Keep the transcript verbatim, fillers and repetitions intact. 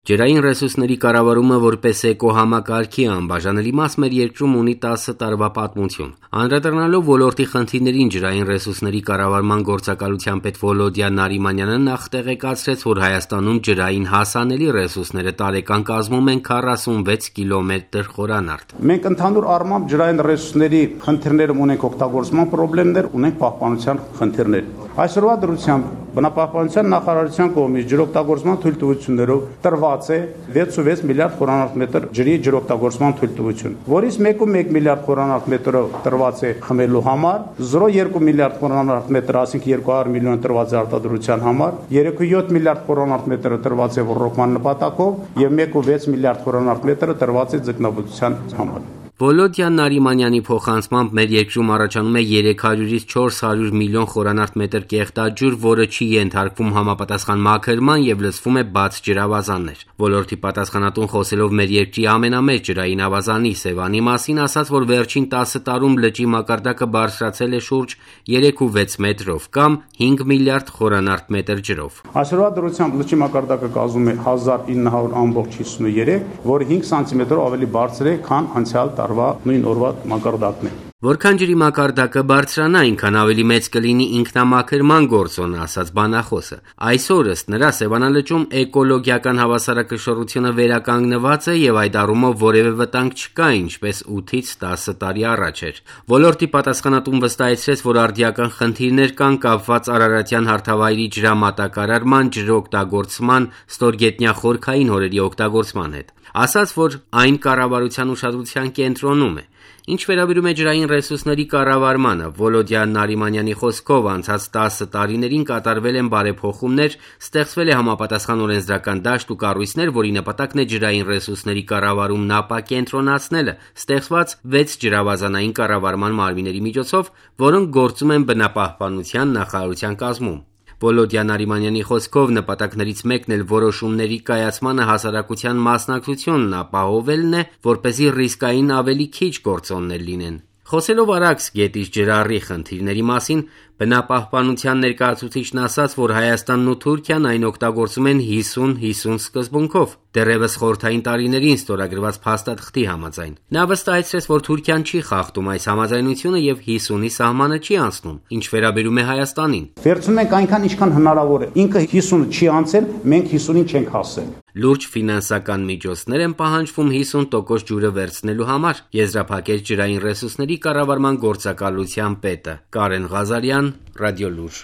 Ջրային ռեսուրսների կառավարումը որպես էկոհամակարգի անբաժանելի մաս մեր երկրում ունի տասը տարվա պատմություն։ Անդրադառնալով ոլորտի խնդիրներին ջրային ռեսուրսների կառավարման գործակալության պետ Վոլոդիա Նարիմանյանը նախ տեղեկացրեց, որ Հայաստանում ջրային հասանելի ռեսուրսները տարեկան կազմում են քառասունվեց կիլոմետր խորանարդ։ Մենք ընդհանուր առմամբ ջրային ռեսուրսների խնդիրներ ունենք, օգտագործման խնդիրներ ունենք, պահպանության խնդիրներ։ Այսօրվա դրությամբ Բնապահպանության նախարարության կողմից ջրօգտագործման թույլտվություններով տրված է վեցուվեց միլիարդ խորանարդ մետր ջրի ջրօգտագործման թույլտվություն, որից մեկ կόμ մեկ միլիարդ խորանարդ մետրը տրված է խմելու համար, զրո կόμ երկու միլիարդ խորանարդ մետր, ասենք երկու հարյուր միլիոն տրված է արտադրության համար, երեք կόμ յոթ միլիարդ խորանարդ մետրը տրված է ռոռոկման նպատակով եւ մեկ կόμ վեց միլիարդ խորանարդ մետրը տրված է ձկնաբուծության համար։ Վոլոդիա Նարիմանյանի փոխանցմամբ մեր երկրում առաջանում է երեք հարյուրից չորս հարյուր միլիոն խորանարդ մետր կեղտաջուր, որը չի ենթարկվում համապատասխան մաքրման եւ լցվում է բաց ջրավազաններ։ Ոլորտի պատասխանատուն խոսելով մեր երկրի ամենամեծ ջրային ավազանի Սևանի մասին ասաց, որ վերջին տասը տարում լճի մակարդակը բարձրացել է շուրջ երեք կόμ վեց մետրով կամ հինգ միլիարդ խորանարդ մետր ջրով։ Այսօրվա դրությամբ լճի մակարդակը կազմում է հազար ինը հարյուր հիսուներեք, որը հինգ սանտիմետրով ավելի բարձր է, քան անցյալ նույն օրվա մակարդակն է։ Որքան ջրի մակարդակը բարձրանա, այնքան ավելի մեծ կլինի ինքնամաքրման գործոնը, ասաց բանախոսը։ Այսօր ըստ նրա Սևանալճում էկոլոգիական հավասարակշռությունը վերականգնված է եւ այդ առումով որևէ վտանգ չկա, ինչպես ութից տասը տարի առաջ էր։ Ոլորտի պատասխանատուն վստահեցրեց, որ արդիական խնդիրներ կան կապված Արարատյան հարթավայրի ջրամատակարարման, ջրօգտագործման, ստորգետնյա խորքային հորերի օգտագործման հետ։ Ասաց, որ այն կառավարության ուշադրության կենտրոնում է։ Ինչ վերաբերում է ջրային ռեսուրսների կառավարմանը, Վոլոդիա Նարիմանյանի խոսքով անցած տասը տարիներին կատարվել են բարեփոխումներ, ստեղծվել է համապատասխան օրենսդրական դաշտ ու կառույցներ, որի նպատակն է ջրային ռեսուրսների կառավարումն ապակենտրոնացնելը, ստեղծված վեց ջրավազանային կառավարման մարմինների միջոցով, որոնք գործում են բնապահպանության նախարարության կազմում։ Վոլոդիա Նարիմանյանի խոսքով նպատակներից մեկն էլ որոշումների կայացմանը հասարակության մասնակցությունն ապահովելն է, որպեսզի ռիսկային ավելի քիչ գործոններ լինեն։ Խոսելով Արաքս գետից ջրառի խնդիրների մասին, բնապահպանության ներկայացուցիչն ասաց, որ Հայաստանն ու Թուրքիան այն օգտագործում են հիսուն հիսուն սկզբունքով, դեռևս խորհրդային տարիներին ստորագրված փաստաթղթի համաձայն։ Նա վստահեցրեց, որ Թուրքիան չի խախտում այս համաձայնությունը եւ հիսունի սահմանը չի անցնում, ինչ վերաբերում է Հայաստանին։ Վերցնում ենք այնքան, ինչքան հնարավոր է։ Ինքը հիսունը չի անցել, մենք հիսունին չենք հասել։ Լուրջ ֆինանսական միջոցներ են պահանջվում հիսուն տոկոս ջուրը վերցնելու համար, եզրափակեց ջրային ռեսուրսների կառավարման գործակալության պետը Կարեն Ղազարյան, Ռադիոլուր։